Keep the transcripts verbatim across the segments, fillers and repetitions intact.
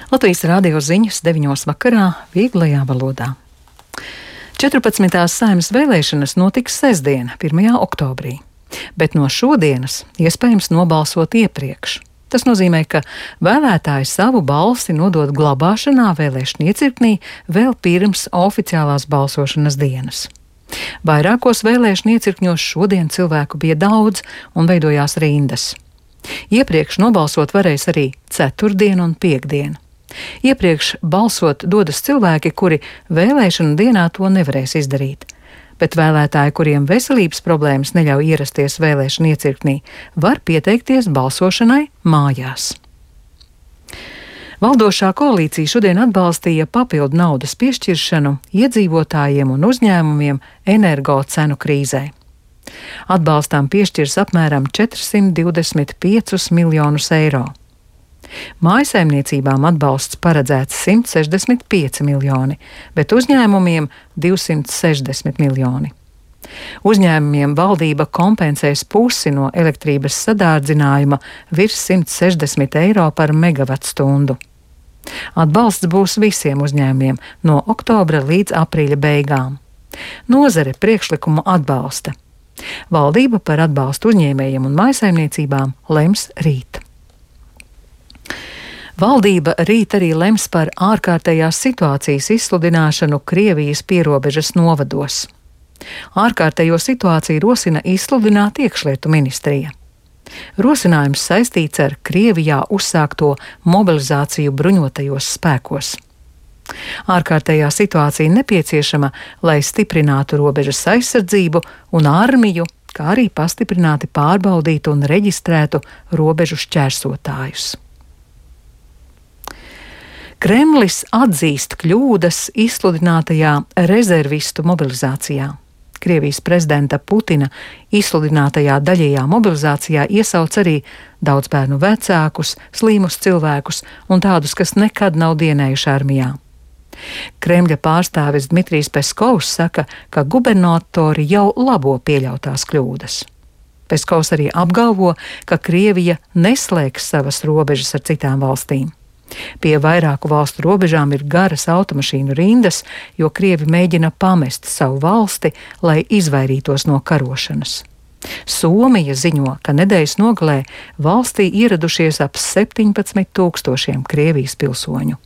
Latvijas rādio ziņas deviņos vakarā vieglajā valodā. četrpadsmitās Saeimas vēlēšanas notiks sestdien, pirmajā oktobrī, bet no šodienas iespējams nobalsot iepriekš. Tas nozīmē, ka vēlētāji savu balsi nodod glabāšanā vēlēšanu iecirknī vēl pirms oficiālās balsošanas dienas. Vairākos vēlēšanu iecirkņos šodien cilvēku bija daudz un veidojās rindas. Iepriekš nobalsot varēs arī ceturtdien un piektdien. Iepriekš balsot dodas cilvēki, kuri vēlēšanu dienā to nevarēs izdarīt, bet vēlētāji, kuriem veselības problēmas neļauj ierasties vēlēšanu iecirknī, var pieteikties balsošanai mājās. Valdošā koalīcija šodien atbalstīja papildu naudas piešķiršanu iedzīvotājiem un uzņēmumiem energo cenu krīzē. Atbalstām piešķirs apmēram četrsimt divdesmit piecus miljonus eiro. Mājsaimniecībām atbalsts paredzēts simt sešdesmit pieci miljoni, bet uzņēmumiem divsimt sešdesmit miljoni. Uzņēmumiem valdība kompensēs pusi no elektrības sadārdzinājuma virs simt sešdesmit eiro par megavatstundu. Atbalsts būs visiem uzņēmumiem no oktobra līdz aprīļa beigām. Nozare priekšlikumu atbalsta. Valdība par atbalstu uzņēmējiem un mājsaimniecībām lems rīt. Valdība rīt arī lems par ārkārtējās situācijas izsludināšanu Krievijas pierobežas novados. Ārkārtējo situāciju rosina izsludināt iekšlietu ministrija. Rosinājums saistīts ar Krievijā uzsākto mobilizāciju bruņotajos spēkos. Ārkārtējā situācija nepieciešama, lai stiprinātu robežas aizsardzību un armiju, kā arī pastiprināti pārbaudītu un reģistrētu robežu šķērsotājus. Kremlis atzīst kļūdas izsludinātajā rezervistu mobilizācijā. Krievijas prezidenta Putina izsludinātajā daļējā mobilizācijā iesauc arī daudz bērnu vecākus, slimus cilvēkus un tādus, kas nekad nav dienējuši armijā. Kremļa pārstāvis Dmitrijs Peskovs saka, ka gubernatori jau labo pieļautās kļūdas. Peskovs arī apgalvo, ka Krievija neslēgs savas robežas ar citām valstīm. Pie vairāku valstu robežām ir garas automašīnu rindas, jo Krievi mēģina pamest savu valsti, lai izvairītos no karošanas. Somija ziņo, ka nedēļas nogalē valstī ieradušies ap septiņpadsmit tūkstošiem Krievijas pilsoņu.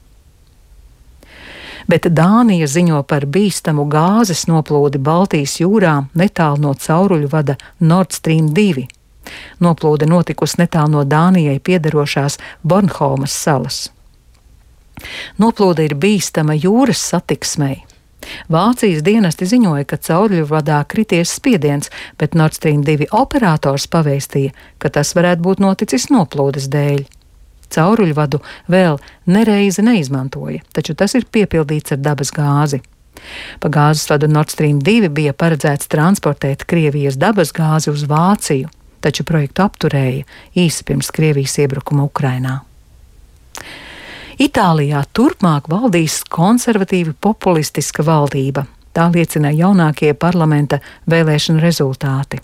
Bet Dānija ziņo par bīstamu gāzes noplūdi Baltijas jūrā netālu no cauruļu vada Nord Stream divi. Noplūde notikusi netālu no Dānijai piederošās Bornholmas salas. Noplūde ir bīstama jūras satiksmei. Vācijas dienesti ziņoja, ka cauruļvadā krities spiediens, bet Nord Stream divi operators pavēstīja, ka tas varētu būt noticis noplūdes dēļ. Cauruļvadu vēl nereizi neizmantoja, taču tas ir piepildīts ar dabas gāzi. Pa gāzes vadu Nord Stream divi bija paredzēts transportēt Krievijas dabas gāzi uz Vāciju, taču projektu apturēja īsi pirms Krievijas iebrukuma Ukrainā. Itālijā turpmāk valdīs konservatīvi populistiska valdība. Tā liecina jaunākie parlamenta vēlēšanu rezultāti.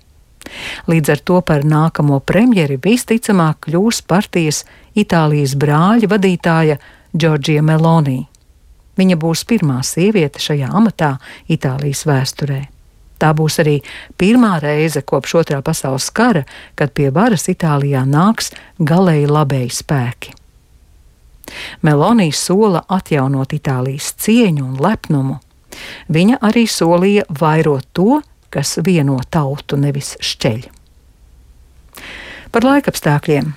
Līdz ar to par nākamo premjeri visticamāk kļūs partijas Itālijas brāļa vadītāja Giorgia Meloni. Viņa būs pirmā sieviete šajā amatā Itālijas vēsturē. Tā būs arī pirmā reize kopš otrā pasaules kara, kad pie varas Itālijā nāks galēji labēji spēki. Meloni sola atjaunot Itālijas cieņu un lepnumu. Viņa arī solīja vairot to, kas vieno tautu, nevis šķeļ. Par laikapstākļiem.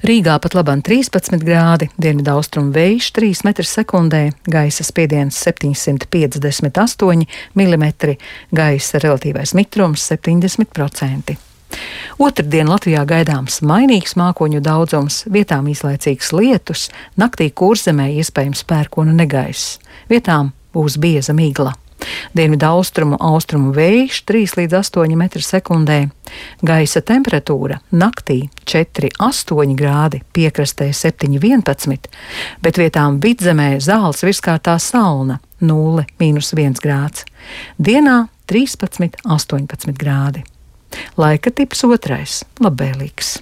Rīgā pat labam trīspadsmit grādi, dienvidaustrumu vējš trīs metri sekundē, gaisa spiediens septiņsimt piecdesmit astoņi milimetri, gaisa relatīvais mitrums septiņdesmit procenti. Otrdien Latvijā gaidāms mainīgs mākoņu daudzums, vietām īslaicīgs lietus, naktī Kurzemē iespējams pērkona negaiss, vietām būs bieza migla. Dienvidaustrumu austrumu vējš trīs līdz astoņi metri sekundē, gaisa temperatūra naktī četri astoņi grādi, piekrastē septiņi vienpadsmit, bet vietām vidzemē zāles virskārtā salna nulle mīnus viens grāds, dienā trīspadsmit astoņpadsmit grādi. Laika tips otrais - labvēlīgs.